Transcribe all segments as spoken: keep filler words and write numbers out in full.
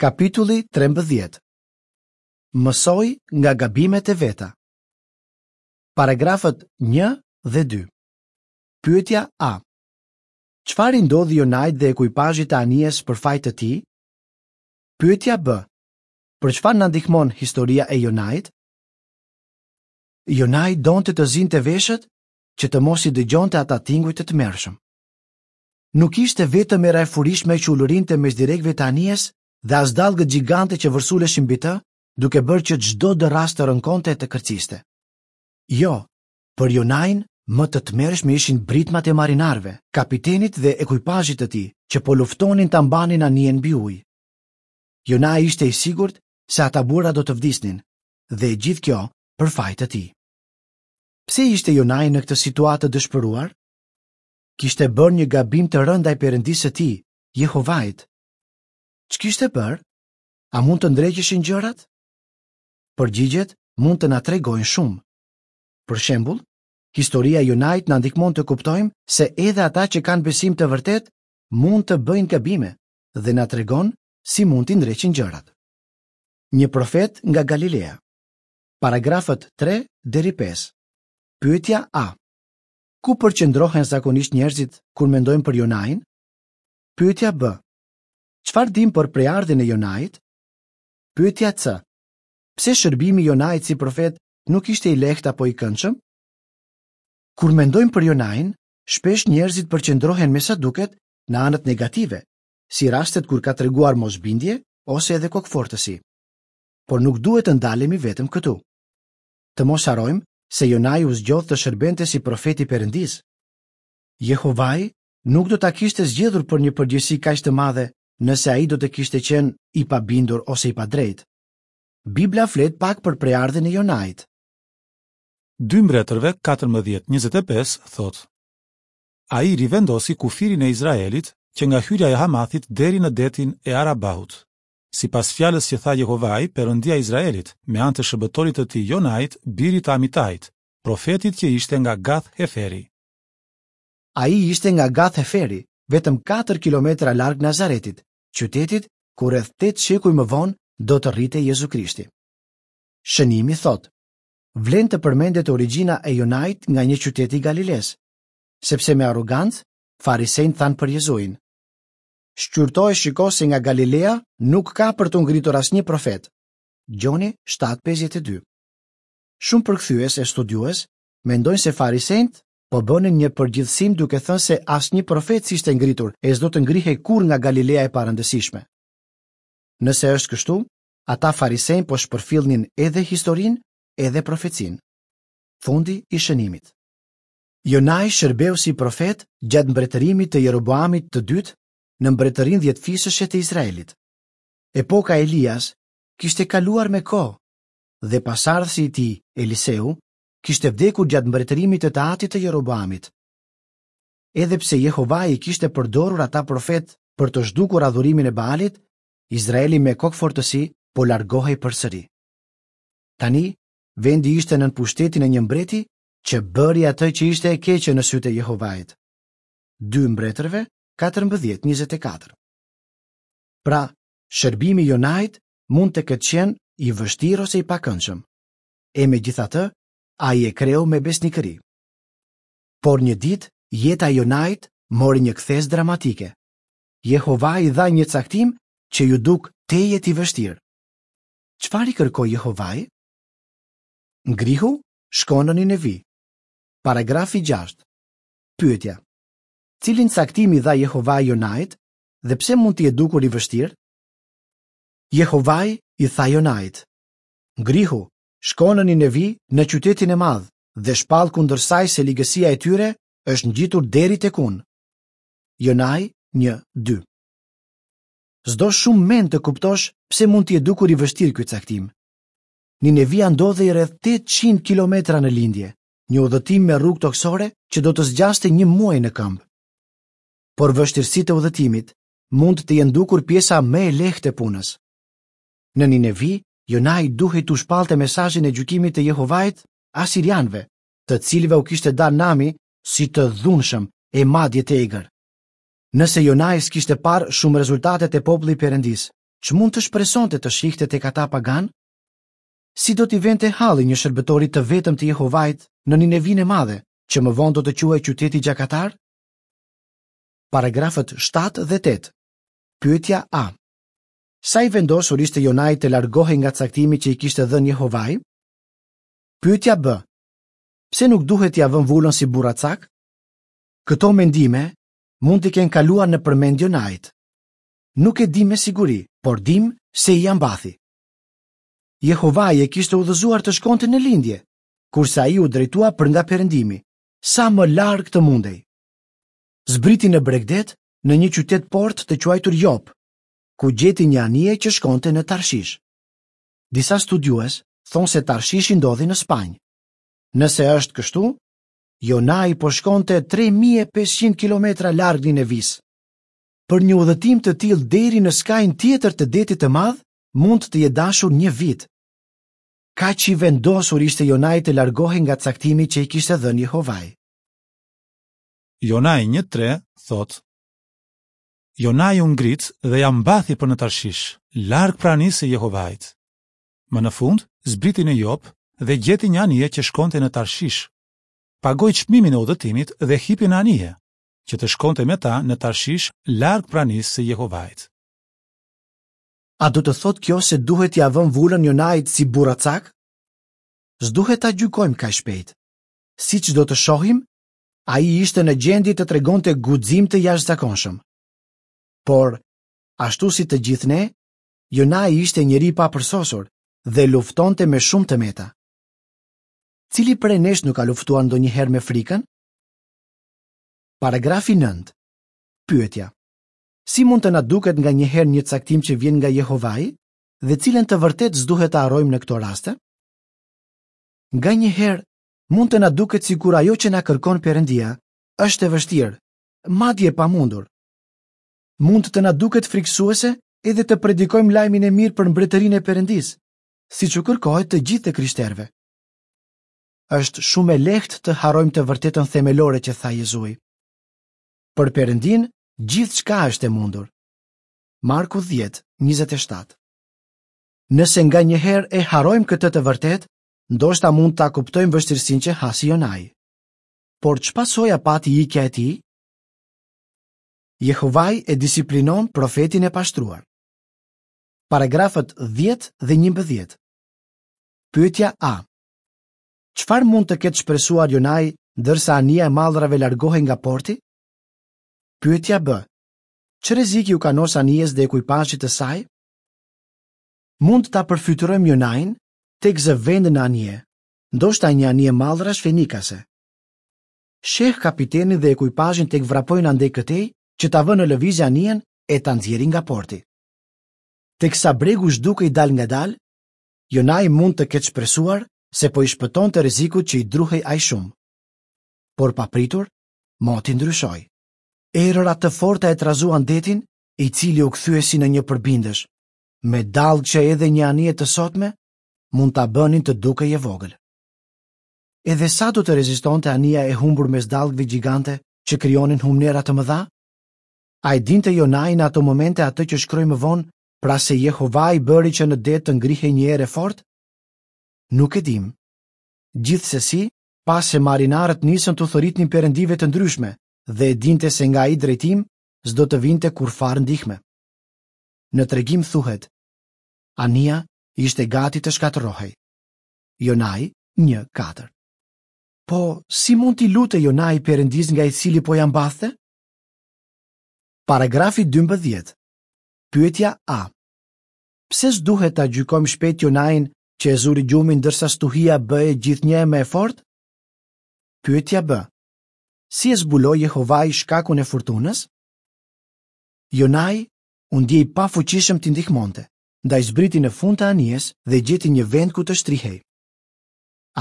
Kapitulli trembëdhjetë. Mësoi nga gabimet e veta. Paragrafët një dhe dy. Pyetja A. Çfarë i ndodhi Jonait dhe ekuipazhit të anijes për faj të tij? Pyetja B. Për çfarë na ndihmon historia e Jonait? Jonai donte të zinte veshët që të mos i dëgjonte ata tinguj të tmerrshëm. Nuk ishte vetëm era e furishme që ulërinte mes direkëve të anijes dhe as dallgët gjigante që vërsuleshin mbi të, duke bërë që çdo dërrasë të rënkonte e të kërciste. Jo, për Jonain më të tmerrshme ishin britmat e marinarëve, kapitenit dhe ekuipazhit të tij, që po luftonin ta mbanin anijen mbi ujë. Jonai ishte i sigurt se ata burra do të vdisnin, dhe e gjithë kjo për faj të tij. Pse ishte Jonai në këtë situatë të dëshpëruar? Kishte bërë një gabim të rëndë ndaj Perëndisë së tij, Jehovait. Ç'kishte bërë? A mund të ndreqeshin gjërat? Përgjigjet mund të na tregojnë shumë. Për shembull, historia e Jonait na ndihmon të kuptojmë se edhe ata që kanë besim të vërtet mund të bëjnë gabime dhe na tregon si mund t'i ndreqin gjërat. Një profet nga Galilea. Paragrafët tre deri pesë. Pyetja A. Ku përqendrohen zakonisht njerëzit kur mendojnë për Jonain? Pyetja B. Çfarë dim për prejardhjen e Jonait? Pyetja C. Pse shërbimi i Jonait si profet nuk ishte i lehtë apo i këndshëm? Kur mendojmë për Jonain, shpesh njerëzit përqendrohen me sa duket në anët negative, si rastet kur ka treguar mosbindje ose edhe kokfortësi. Por nuk duhet të ndalemi vetëm këtu. Të mos harrojmë se Jonai u zgjodh të shërbente si profeti i Perëndisë. Jehovai nuk do ta kishte zgjedhur për një përgjegjësi kaq të madhe nëse ai do të kishte qenë i pabindur ose i padrejtë. Bibla flet pak për prejardhjen e Jonait. Dy Mbretërve katërmbëdhjetë njëzet e pesë thotë: Ai rivendosi kufirin e Izraelit që nga hyrja e Hamathit deri në detin e Arabahut. Sipas fjalës që tha Jehovai, Perëndia e Izraelit, me anë të shërbëtorit të tij Jonait, birit të Amitait, profetit që ishte nga Gath Heferi. Ai ishte nga Gath Heferi, vetëm katër kilometra larg Nazaretit, qytetit ku rreth tetë shekuj më vonë do të rritej Jezu Krishti. Shënimi thotë: Vlen të përmendet origjina e Jonait nga një qytet i Galiles, sepse me arrogancë farisejt thanë për Jezuin: Shqyrto e shiko se nga Galilea nuk ka për të ngritur asnjë profet. Gjoni shtatë pesëdhjetë e dy. Shumë përkthyes e studiues mendojnë se farisejt po bënin një përgjithësim duke thënë se asnjë profet s'ishte ngritur e s'do të ngrihej kurrë nga Galilea e parëndësishme. Nëse është kështu, ata farisejnë po shpërfillnin edhe historinë, edhe profecinë. Fundi i shënimit. Jonai shërbeu si profet gjatë mbretërimit të Jeroboamit të dytë në mbretërinë dhjetëfisëshe të Izraelit. Epoka e Elias kishte kaluar me kohë dhe pasardhësi i tij, Eliseu, kishte vdekur gjatë mbretërimit të të atit të Jeroboamit. Edhe pse Jehovai i kishte përdorur ata profet për të zhdukur adhurimin e Baalit, Izraeli me kokfortësi po largohej përsëri. Tani, vendi ishte nën pushtetin e një mbreti që bëri atë që ishte e keqe në sytë e Jehovait. Dy Mbretërve, katërmbëdhjetë njëzet e katër. Pra, shërbimi i Jonait mund të ketë qenë i vështirë ose i pakëndshëm. E megjithatë, ai e kreu me besnikëri. Por një ditë, jeta e Jonait mori një kthesë dramatike. Jehova i dha një caktim që ju duk tejet i vështirë. Çfarë i kërkoi Jehovai? Ngrihu, shko në Ninevi. Paragrafi gjashtë. Pyetja: Cilin caktim i dha Jehovai Jonait dhe pse mund t'i jetë dukur i vështirë? Jehovai i tha Jonait: Ngrihu, shko në Ninevi, në qytetin e madh, dhe shpall kundër saj se ligësia e tyre është ngjitur deri tek unë. Jonai një dy. S'do shumë mend të kuptosh pse mund t'i jetë dukur i vështirë ky caktim. Ninevia ndodhej rreth tetëqind kilometra në lindje, një udhëtim me rrugë toksore që do të zgjaste një muaj në këmbë. Por vështirësitë e udhëtimit mund të jenë dukur pjesa më e lehtë e punës. Në Ninevi, Jonai duhej t'u shpallte mesazhin e gjykimit të Jehovait asirianëve, të cilëve u kishte dalë nami si të dhunshëm e madje të egër. Nëse Jonai s'kishte parë shumë rezultatet e popullit Perëndis, Ç'mund të shpresonte të shihte tek ata paganë? Si do t'i vente halli një shërbëtori të vetëm të Jehovait në Ninevinë e madhe, që më vonë do të quhej qyteti gjakatar? Paragrafët shtatë dhe tetë. Pyetja A. Sa i vendosur ishte Jonai të largohej nga caktimi që i kishte dhënë Jehovai? Pyetja B. Pse nuk duhet t'ia vëmë vulën si burracak? Këto mendime mund t'i kenë kaluar nëpër mend Jonait. Nuk e dim me siguri, por dim se ia mbathi. Jehovai e kishte udhëzuar të shkonte në lindje, kurse ai u drejtua për nga perëndimi, sa më larg të mundej. Zbriti në bregdet, në një qytet port të quajtur Jop, ku gjeti një anije që shkonte në Tarshish. Disa studiues thonë se Tarshishi ndodhi në Spanjë. Nëse është kështu, Jonai po shkonte tre mijë e pesëqind kilometra larg Ninevisë. Për një udhëtim të tillë deri në skajin tjetër të detit të madh, mund të jetë dashur një vit. Kaq i vendosur ishte Jonai të largohej nga caktimi që i kishte dhënë Jehovai. Jonai një tre thotë: Jonai u ngrit dhe ia mbathi për në Tarshish, larg pranisë së Jehovait. Më në fund, zbriti në Jop dhe gjeti një anije që shkonte në Tarshish. Pagoi çmimin e udhëtimit dhe hipi në anije, që të shkonte me ta në Tarshish, larg pranisë së Jehovait. A do të thotë kjo se duhet t'ia vëmë vulën Jonait si burracak? S'duhet ta gjykojmë kaq shpejt. Siç do të shohim, ai ishte në gjendje të tregonte guxim të jashtëzakonshëm. Por, ashtu si të gjithë ne, Jonai ishte njeri i papërsosur dhe luftonte me shumë të meta. Cili prej nesh nuk ka luftuar ndonjëherë me frikën? Paragrafi nëntë. Pyetja: Si mund të na duket nganjëherë një caktim që vjen nga Jehovai dhe cilën të vërtetë s'duhet ta harrojmë në këto raste? Nganjëherë mund të na duket sikur ajo që na kërkon Perëndia është e vështirë, madje e pamundur. Mund të na duket frikësuese edhe të predikojmë lajmin e mirë për mbretërinë e Perëndisë, siç u kërkohet të gjithë të krishterëve. Është shumë e lehtë të harrojmë të vërtetën themelore që tha Jezui. Për Perëndin, gjithçka është e mundur. Marku dhjetë, njëzet e shtatë. Nëse nganjëherë e harrojmë këtë të vërtetë, ndoshta mund ta kuptojmë vështirësinë që hasi Jonai. Por ç'pasoja pati ikja e tij? Jehovai e disiplinon profetin e pashtruar. Paragrafët dhjetë dhe njëmbëdhjetë. Pyetja A. Çfarë mund të ketë shpresuar Jonai ndërsa anija e mallrave largohej nga porti? Pyetja B. Ç'rrezik iu kanos anijes dhe ekuipazhit të saj? Mund ta përfytyrojmë Jonain tek zë vend në anije, ndoshta një anije mallrash fenikase. Sheh kapitenin dhe ekuipazhin tek vrapojnë andej këtej që ta vënë në lëvizje anijen e ta nxjerrin nga porti. Teksa bregu zhdukej dal nga dal, Jonai mund të ketë shpresuar se po i shpëtonte rrezikut që i druhej ai shumë. Por papritur, moti ndryshoi. Erëra të forta e trazuan detin, i cili u kthye si në një përbindësh, me dallgë që edhe një anije të sotme mund ta bënin të dukej e vogël. Edhe sa do të rezistonte anija e humbur mes dallgëve gjigante që krijonin humnera të mëdha? A e dinte Jonai në ato momente atë që shkroi më vonë, pra se Jehovai bëri që në det të ngrihej një erë e fortë? Nuk e dim. Gjithsesi, pa se marinarët nisën t'u thërritnin perëndive të ndryshme dhe e dinte se nga ai drejtim s'do të vinte kurrfarë ndihme. Në tregim thuhet, anija ishte gati të shkatërrohej. Jonai një katër. Po, si mund t'i lute Jonai perëndis nga i cili po ja mbathte? Paragrafi dymbëdhjetë. Pyetja A. Pse s'duhet ta gjykojmë shpejt Jonain që e zuri gjumin ndërsa stuhia bëhej gjithnjë e më e fortë? Pyetja B. Si e zbuloi Jehovai shkakun e furtunës? Jonai u ndje i pafuqishëm t'i ndihmonte, ndaj zbriti në fund të anijes dhe gjeti një vend ku të shtrihej.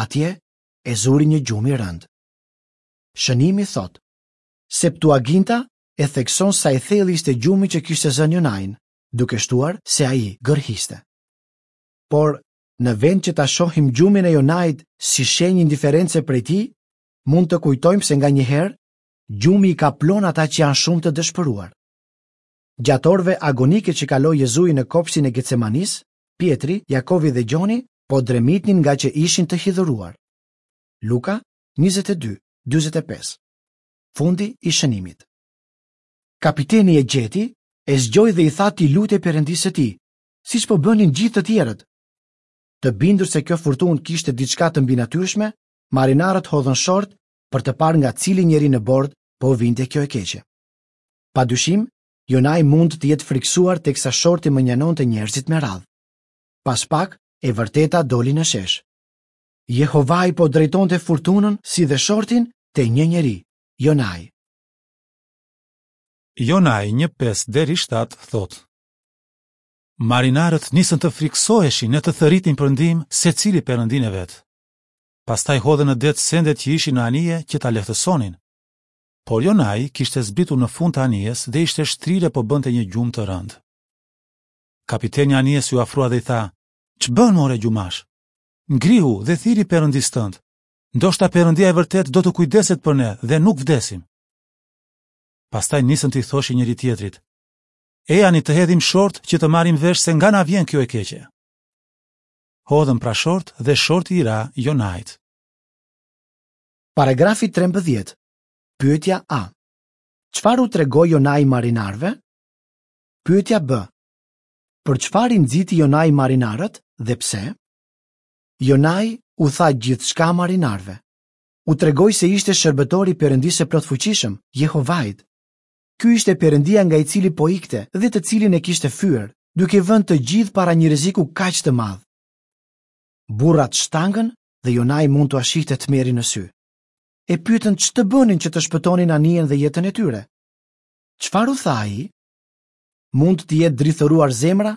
Atje e zuri një gjumë i rëndë. Shënimi thotë, Septuaginta e thekson sa i thellë ishte gjumi që kishte zënë Jonain, duke shtuar se ai gërhiste. Por, në vend që ta shohim gjumin e Jonait si shenjë indiference prej tij, mund të kujtojmë se nganjëherë gjumi i kaplon ata që janë shumë të dëshpëruar. Gjatë orëve agonike që kaloi Jezui në kopshtin e Getsemanisë, Pjetri, Jakovi dhe Gjoni po dremitnin ngaqë ishin të hidhëruar. Luka njëzet e dy, dyzet e pesë. Fundi i shënimit. Kapiteni e gjeti, e zgjoi dhe i tha t'i lutej Perëndisë së tij, siç po bënin gjithë të tjerët. Të bindur se kjo furtunë kishte diçka të mbinatyrshme, marinarët hodhën short për të parë nga cili njeri në bord po vinte kjo e keqe. Padyshim, Jonai mund të jetë frikësuar teksa shorti mënjanonte njerëzit me radhë. Pas pak, e vërteta doli në shesh. Jehovai po drejtonte furtunën si dhe shortin te një njeri, Jonai. Jonai një pesë deri shtatë thotë: Marinarët nisën të frikësoheshin e të thërritin për ndihmë secili perëndinë e vet. Pastaj hodhën në det sendet që ishin në anije që ta lehtësonin. Por Jonai kishte zbritur në fund të anijes dhe ishte shtrirë e po bënte një gjumë të rëndë. Kapiteni i anijes iu afrua dhe i tha: "Ç'bën more gjumash? Ngrihu dhe thirri perëndisë tënd. Ndoshta perëndia e vërtet do të kujdeset për ne dhe nuk vdesim." Pastaj nisën t'i thoshin njëri tjetrit: "Ejani të hedhim short që të marrim vesh se nga na vjen kjo e keqe." Hodhën pra short dhe shorti i ra Jonait. Paragrafi trembëdhjetë. Pyetja A. Çfarë u tregoi Jonai marinarëve? Pyetja B. Për çfarë i nxiti Jonai marinarët dhe pse? Jonai u tha gjithçka marinarëve. U tregoi se ishte shërbëtor i Perëndisë së plotfuqishëm, Jehovait. Ky ishte Perëndia nga i cili po ikte dhe të cilin e kishte fyer, duke vënë të gjithë para një rreziku kaq të madh. Burrat shtangën dhe Jonai mund t'ua shihte tmerrin në sy. E pyetën ç'të bënin që të shpëtonin anijen dhe jetën e tyre. Çfarë u tha ai? Mund të jetë drithëruar zemra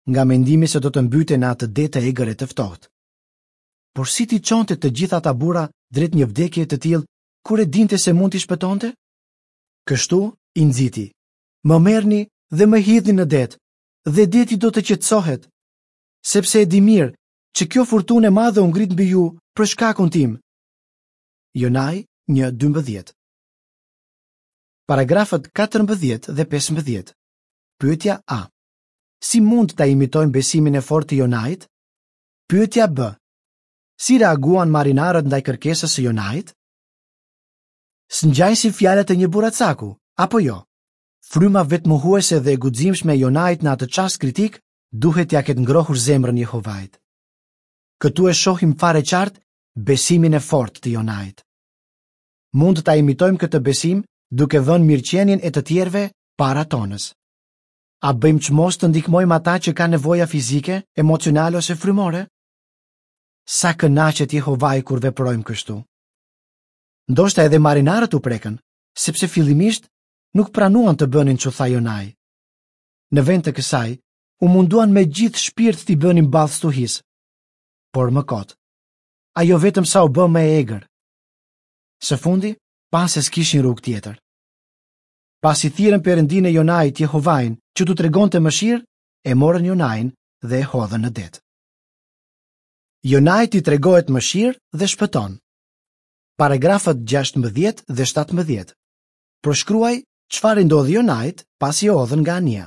nga mendimi se do të mbyte në atë det të egër e të ftohtë. Por si t'i çonte të gjithë ata burra drejt një vdekje të tillë kur e dinte se mund t'i shpëtonte? Kështu i nxiti: "Më merrni dhe më hidhni në det, dhe deti do të qetësohet, sepse e di mirë që kjo furtunë e madhe u ngrit mbi ju për shkakun tim." Jonai një dymbëdhjetë. Paragrafët katërmbëdhjetë dhe pesëmbëdhjetë. Pyetja A. Si mund ta imitojmë besimin e fortë të Jonait? Pyetja B. Si reaguan marinarët ndaj kërkesës së Jonait? S'ngjajnë si fjalët e një burracaku, apo jo? Fryma vetmohuese dhe e guximshme e Jonait në atë çast kritik duhet t'ia ketë ngrohur zemrën Jehovait. Këtu e shohim fare qartë besimin e fortë të Jonait. Mund ta imitojmë këtë besim duke vënë mirëqenien e të tjerëve para tonës. A bëjmë çmos të ndihmojmë ata që kanë nevoja fizike, emocionale ose frymore? Sa kënaqet Jehovai kur veprojmë kështu. Ndoshta edhe marinarët u prekën, sepse fillimisht nuk pranuan të bënin ç'u tha Jonai. Në vend të kësaj, u munduan me gjithë shpirt t'i bënin ballë stuhisë, por më kot. Ajo vetëm sa u bë më e egër. Së fundi, pa se s'kishin rrugë tjetër. Pasi thirrën Perëndinë e Jonait, Jehovain, që t'u tregonte mëshirë, e morën Jonain dhe e hodhën në det. Jonait i tregohet mëshirë dhe shpëton. Paragrafët gjashtëmbëdhjetë dhe shtatëmbëdhjetë. Përshkruaj çfarë i ndodhi Jonait pasi e hodhën nga anija.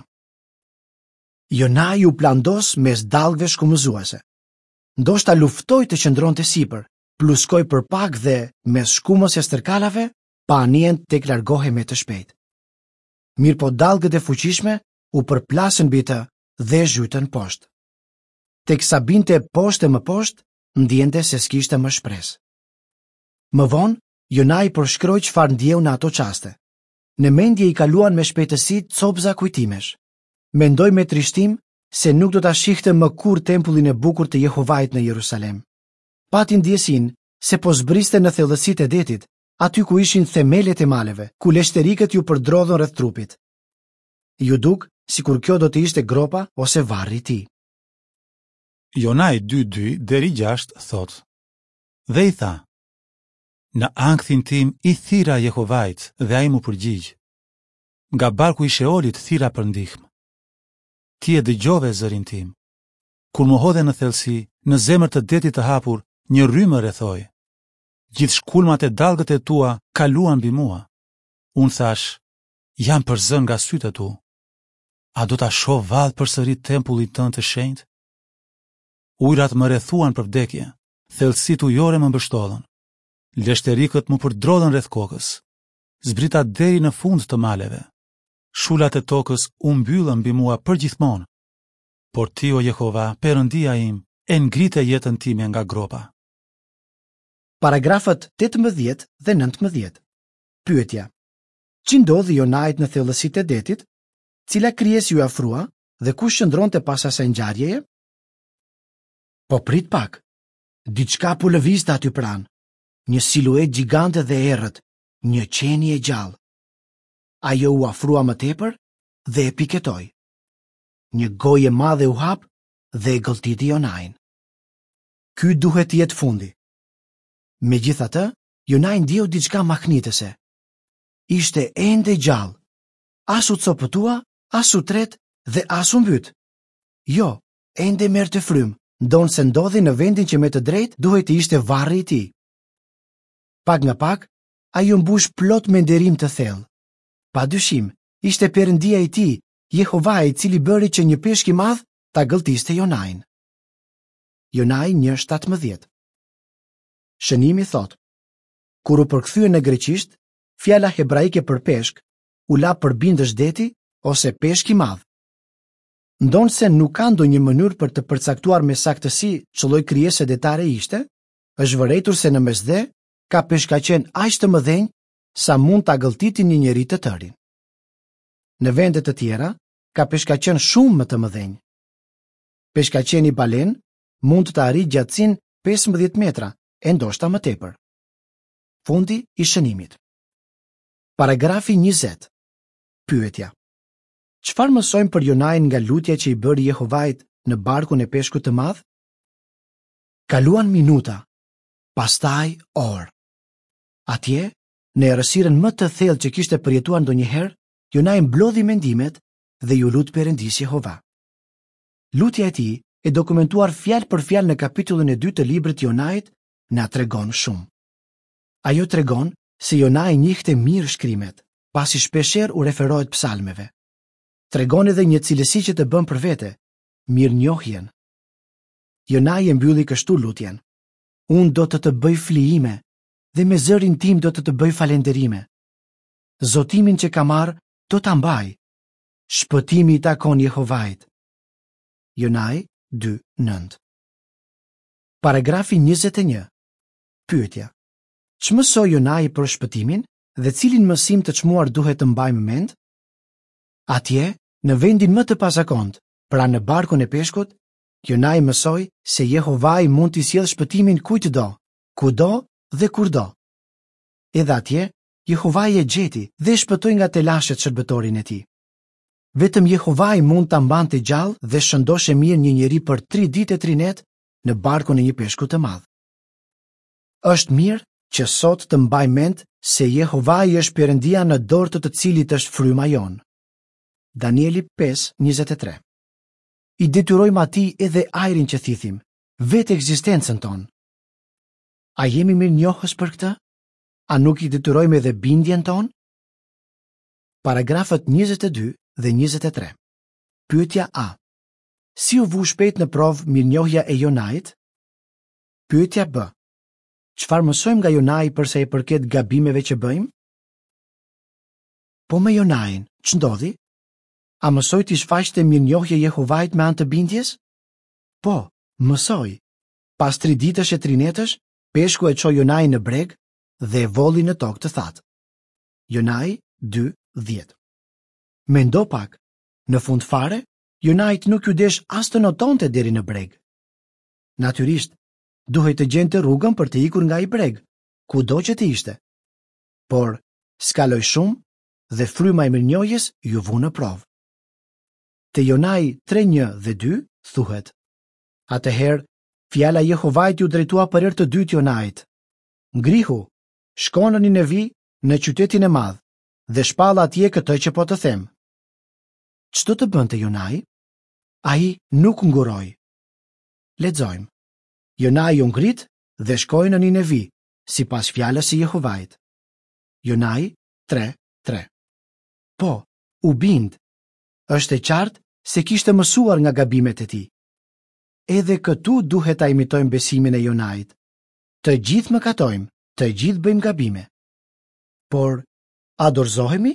Jonai u plandos mes dallgëve shkumëzuese. Ndoshta luftoi të qëndronte sipër, pluskoi për pak dhe mes shkumës e stërkalave, pa anijen tek largohej me të shpejt. Mirë po dallgët e fuqishme u përplasën mbi të dhe e zhytën poshtë. Teksa binte poshtë e më poshtë, ndjente se s'kishte më shpresë. Më vonë, Jonai përshkroi çfarë ndjeu në ato çaste. Në mendje i kaluan me shpejtësi copza kujtimesh. Mendoi me trishtim se nuk do ta shihte më kurrë tempullin e bukur të Jehovait në Jerusalem. Pati ndjesinë se po zbriste në thellësitë e detit, aty ku ishin themelet e maleve, ku leshterikët ju përdrodhën rreth trupit. Ju duk sikur kjo do të ishte gropa ose varri i tij. Jonai dy dy deri gjashtë thotë: Dhe i tha: Në ankthin tim i thira Jehovait dhe ai m'u përgjigj. Nga barku i Sheolit thira për ndihmë. Ti e dëgjove zërin tim. Kur më hodhe në thellësi, në zemër të detit të hapur, një rrymë rrethoi. Gjithë shkulmat e dallgët e tua kaluan mbi mua. Unë thash, jam përzën nga sytë e tu. A do ta shoh vallë përsëri tempullin tënd të shenjtë? Ujrat më rrethuan për vdekje, thellësitë ujore më mbështollën. Leshterikët më përdrodhën rreth kokës. Zbrita deri në fund të maleve. Shulat e tokës u mbyllën mbi mua përgjithmonë. Por ti, o Jehova, Perëndia im, e ngrite jetën time nga gropa. Paragrafët tetëmbëdhjetë dhe nëntëmbëdhjetë. Pyetja: Ç'i ndodhi Jonait në thellësitë e detit? Cila krijesë iu afrua dhe kush qëndronte pas asaj ngjarjeje? Po prit pak. Diçka po lëvizte aty pranë. Një siluetë gjigante dhe e errët, një qenie e gjallë. Ajo u afrua më tepër dhe e piketoi. Një gojë e madhe u hap dhe e gëlltiti Jonain. Ky duhet të jetë fundi. Megjithatë, Jonai ndjeu diçka mahnitëse. Ishte ende gjallë. As u copëtua, as u tret dhe as u mbyt. Jo, ende merrte frymë, ndonëse ndodhej në vendin që me të drejtë duhej të ishte varri i tij. Pak nga pak, ai u mbush plot me nderim të thellë. Pa dyshim, ishte Perëndia i tij, Jehova, i cili bëri që një peshk i madh ta gëlltiste Jonain. Jonai një shtatëmbëdhjetë. Shënimi thotë: Kur u përkthye në greqisht, fjala hebraike për peshk u la përbindësh deti ose peshk i madh. Ndonëse nuk ka ndonjë mënyrë për të përcaktuar me saktësi ç'lloj krijese detare ishte, është vërejtur se në Mesdhe ka peshkaqen aq të mëdhenj sa mund ta gëlltitin një njeri të tërin. Në vende të tjera ka peshkaqen shumë më të mëdhenj. Peshkaqeni balen mund të arrijë gjatësinë pesëmbëdhjetë metra e ndoshta më tepër. Fundi i shënimit. Paragrafi njëzet. Pyetja: Çfarë mësojmë për Jonain nga lutja që i bëri Jehovait në barkun e peshkut të madh? Kaluan minuta, pastaj orë. Atje, në errësirën më të thellë që kishte përjetuar ndonjëherë, Jonai mblodhi mendimet dhe iu lut Perëndisë Jehova. Lutja e tij, e dokumentuar fjalë për fjalë në kapitullin e dytë të librit Jonait, na tregon shumë. Ajo tregon se Jonai njihte mirë shkrimet, pasi shpeshherë u referohet psalmeve. Tregon edhe një cilësi që të bën për vete, mirënjohjen. Jonai e mbylli kështu lutjen: Unë do të të bëj flijime dhe me zërin tim do të të bëj falënderime. Zotimin që kam marrë do ta mbaj. Shpëtimi i takon Jehovait. Jonai dy nëntë. Paragrafi njëzet e një. Pyetja: Ç'mësoi Jonai për shpëtimin dhe cilin mësim të çmuar duhet të mbajmë mend? Atje, në vendin më të pazakont, pra në barkun e peshkut, Jonai mësoi se Jehovai mund t'i sjellë shpëtimin kujtdo, kudo dhe kurdo. Edhe atje, Jehovai e gjeti dhe shpëtoi nga telashet shërbëtorin e tij. Vetëm Jehovai mund ta mbante gjallë dhe shëndoshë mirë një njeri për tri ditë e tri net në barkun e një peshku të madh. Është mirë që sot të mbaj mend se Jehovai është Perëndia në dorë të të cilit është fryma jonë. Danieli pesë njëzet e tre. I detyrojmë atij edhe ajrin që thithim, vetë ekzistencën tonë. A jemi mirënjohës për këtë? A nuk i detyrojmë edhe bindjen tonë? Paragrafët njëzet e dy dhe njëzet e tre. Pyetja A. Si u vu shpejt në provë mirënjohja e Jonait? Pyetja B. Çfarë mësojmë nga Jonai për sa i përket gabimeve që bëjmë? Po me Jonain, ç'ndodhi? A mësoi t'i shfaqte mirënjohje Jehovait me anë të bindjes? Po, mësoi. Pas tri ditësh e tri netësh, peshku e çoi Jonain në breg dhe e volli në tokë të thatë. Jonai dy dhjetë. Mendo pak, në fund fare, Jonait nuk ju desh as të notonte deri në breg. Natyrisht, duhej të gjente rrugën për të ikur nga ai breg, kudo që të ishte. Por, s'kaloi shumë dhe fryma e mirënjohjes ju vu në provë. Te Jonai tre një dhe dy thuhet: Atëherë, fjala e Jehovait ju drejtua për herë të dytë Jonait: Ngrihu, shko në Ninevi, në qytetin e madh, dhe shpall atje këtë që po të them. Ç'do të bënte Jonai? Ai nuk nguroi. Lexojmë. Jonai u ngrit dhe shkoi në Ninevi, sipas fjalës së Jehovait. Jonai tre tre. Po, u bind. Është e qartë se kishte mësuar nga gabimet e tij. Edhe këtu duhet ta imitojmë besimin e Jonait. Të gjithë mëkatojmë, të gjithë bëjmë gabime. Por, a dorëzohemi?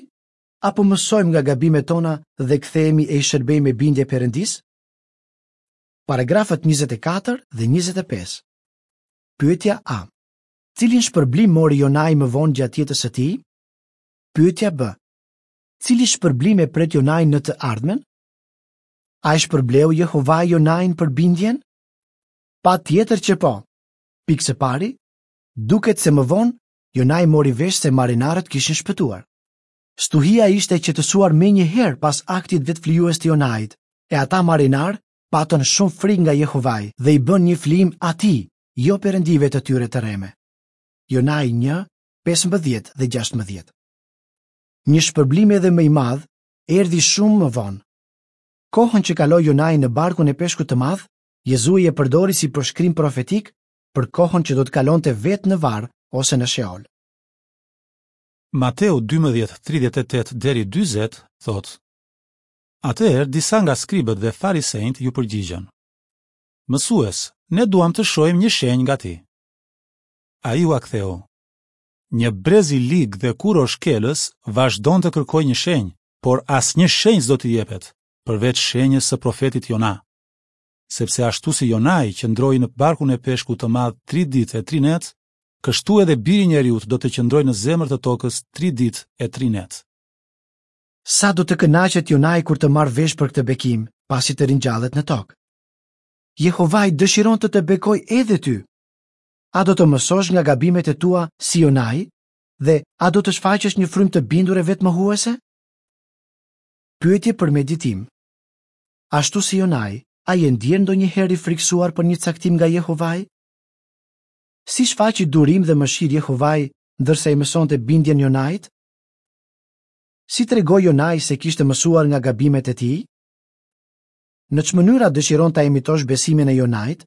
Apo mësojmë nga gabimet tona dhe kthehemi e i shërbejmë me bindje Perëndisë? Paragrafët njëzet e katër dhe njëzet e pesë. Pyetja A. Cilin shpërblim mori Jonai më vonë gjatë jetës së tij? Pyetja B. Cili shpërblim e pret Jonai në të ardhmen? A e shpërbleu Jehovai Jonain për bindjen? Patjetër që po. Pikë së pari, duket se më vonë Jonai mori vesh se marinarët kishin shpëtuar. Stuhia ishte e qetësuar menjëherë pas aktit vetëflijues të Jonait, e ata marinarë patën shumë frikë nga Jehovai dhe i bënë një flijim atij, jo perëndive të tyre të rreme. Jonai një, pesëmbëdhjetë dhe gjashtëmbëdhjetë. Një shpërblim edhe më i madh erdhi shumë më vonë. Kohën që kaloi Jonai në barkun e peshkut të madh, Jezui e përdori si përshkrim profetik për kohën që do të kalonte vetë në varr ose në Sheol. Mateu dymbëdhjetë tridhjetë e tetë deri dyzet thotë: Atëherë disa nga skribët dhe farisenjtë ju përgjigjën: Mësues, ne duam të shohim një shenjë nga ti. Ai ua ktheu: Një brez i lig dhe kurorshkelës vazhdon të kërkojë një shenjë, por asnjë shenjë s'do t'i jepet, përveç shenjës së profetit Jona. Sepse ashtu si Jonai qëndroi në barkun e peshkut të madh tri ditë e tri net, kështu edhe biri i njeriut do të qëndrojë në zemër të tokës tri ditë e tri net. Sa do të kënaqet Jonai kur të marrë vesh për këtë bekim, pasi të ringjallet në tokë? Jehovai dëshiron të të bekojë edhe ty. A do të mësosh nga gabimet e tua si Jonai dhe a do të shfaqësh një frymë të bindur e vetëmohuese? Pyetje për meditim. Ashtu si Jonai, a je ndjerë ndonjëherë i frikësuar për një caktim nga Jehovai? Si shfaqi durim dhe mëshirë Jehovai ndërsa i mësonte bindjen Jonait? Si tregoi Jonai se kishte mësuar nga gabimet e tij? Në ç'mënyra dëshiron ta imitosh besimin e Jonait?